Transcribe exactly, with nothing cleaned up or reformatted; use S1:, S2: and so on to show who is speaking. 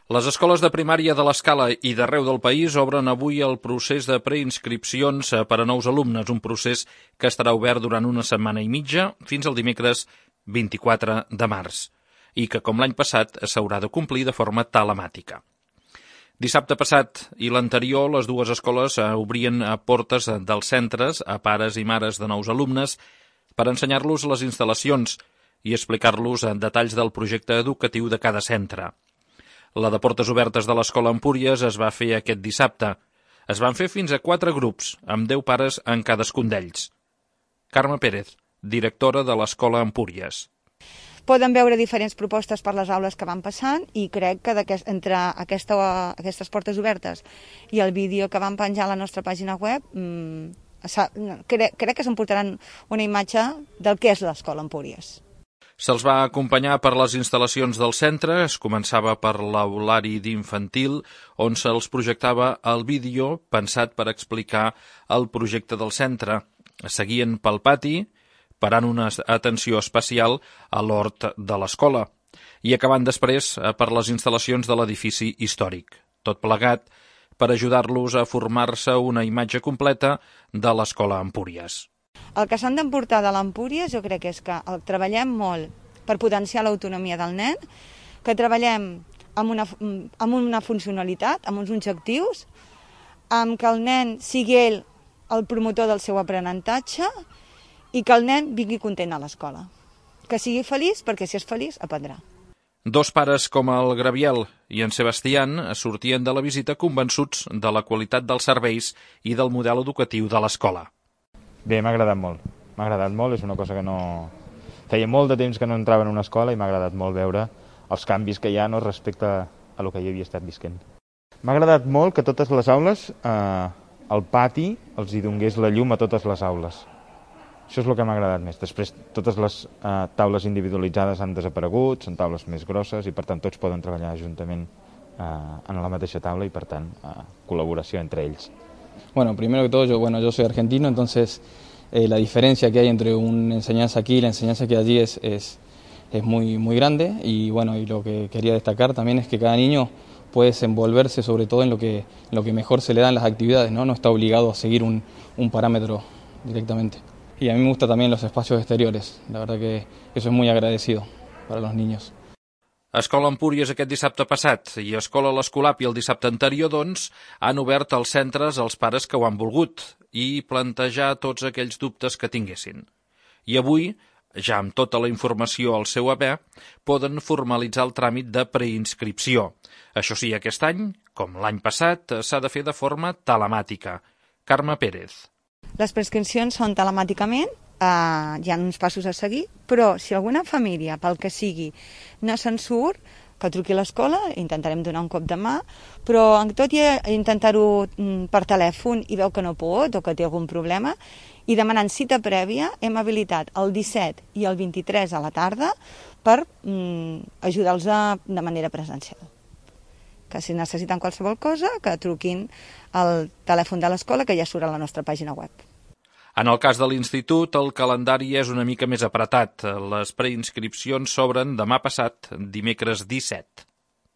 S1: Les escoles de primària de l'Escala i d'arreu del país obren avui el procés de preinscripcions per a nous alumnes, un procés que estarà obert durant una setmana i mitja fins al dimecres vint-i-quatre de març i que, com l'any passat, s'haurà de complir de forma telemàtica. Dissabte passat i l'anterior, les dues escoles obrien portes dels centres a pares i mares de nous alumnes per ensenyar-los les instal·lacions i explicar-los detalls del projecte educatiu de cada centre. La de portes obertes de l'Escola Empúries es va fer aquest dissabte. Es van fer fins a quatre grups, amb deu pares en cadascun d'ells. Carme Pérez, directora de l'Escola Empúries.
S2: Poden veure diferents propostes per les aules que van passant i crec que entre aquesta, aquestes portes obertes i el vídeo que van penjar a la nostra pàgina web mmm, crec, crec que s'emportaran una imatge del que és l'Escola Empúries.
S1: Se'ls va acompanyar per les instal·lacions del centre, es començava per l'aulari d'infantil, on se'ls projectava el vídeo pensat per explicar el projecte del centre. Seguien pel pati, parant una atenció especial a l'hort de l'escola, i acabant després per les instal·lacions de l'edifici històric. Tot plegat per ajudar-los a formar-se una imatge completa de l'Escola Empúries.
S2: El que s'han d'emportar de l'Empúries jo crec que és que treballem molt per potenciar l'autonomia del nen, que treballem amb una, amb una funcionalitat, amb uns objectius, amb que el nen sigui ell el promotor del seu aprenentatge i que el nen vingui content a l'escola. Que sigui feliç, perquè si és feliç, aprendrà.
S1: Dos pares com el Graviel i en Sebastián sortien de la visita convençuts de la qualitat dels serveis i del model educatiu de l'escola.
S3: Bé, m'ha agradat molt. M'ha agradat molt, és una cosa que no... Feia molt de temps que no entrava en una escola i m'ha agradat molt veure els canvis que hi ha no, respecte a el que hi havia estat visquent. M'ha agradat molt que totes les aules, eh, el pati, els hi donés la llum a totes les aules. Això és el que m'ha agradat més. Després, totes les eh, taules individualitzades han desaparegut, són taules més grosses i, per tant, tots poden treballar juntament eh, en la mateixa taula i, per tant, eh, col·laboració entre ells.
S4: Bueno, primero que todo, yo, bueno, yo soy argentino, entonces eh, la diferencia que hay entre una enseñanza aquí y la enseñanza que hay allí es, es, es muy, muy grande y, bueno, y lo que quería destacar también es que cada niño puede desenvolverse sobre todo en lo que, en lo que mejor se le dan las actividades, ¿no? No está obligado a seguir un, un parámetro directamente. Y a mí me gustan también los espacios exteriores, la verdad que eso es muy agradecido para los niños.
S1: Escola Empúries aquest dissabte passat i Escola l'Escolapi el dissabte anterior, doncs, han obert els centres als pares que ho han volgut i plantejar tots aquells dubtes que tinguessin. I avui, ja amb tota la informació al seu haver, poden formalitzar el tràmit de preinscripció. Això sí, aquest any, com l'any passat, s'ha de fer de forma telemàtica. Carme Pérez.
S2: Les preinscripcions són telemàticament, Uh, hi ha uns passos a seguir, però si alguna família, pel que sigui, no se'n surt, que truqui a l'escola, intentarem donar un cop de mà, però tot i intentar-ho per telèfon i veu que no pot o que té algun problema, i demanant cita prèvia, hem habilitat el disset i el vint-i-tres a la tarda per um, ajudar-los de manera presencial. Que si necessiten qualsevol cosa, que truquin al telèfon de l'escola, que ja surt a la nostra pàgina web.
S1: En el cas de l'institut, el calendari és una mica més apretat. Les preinscripcions s'obren demà passat, dimecres disset.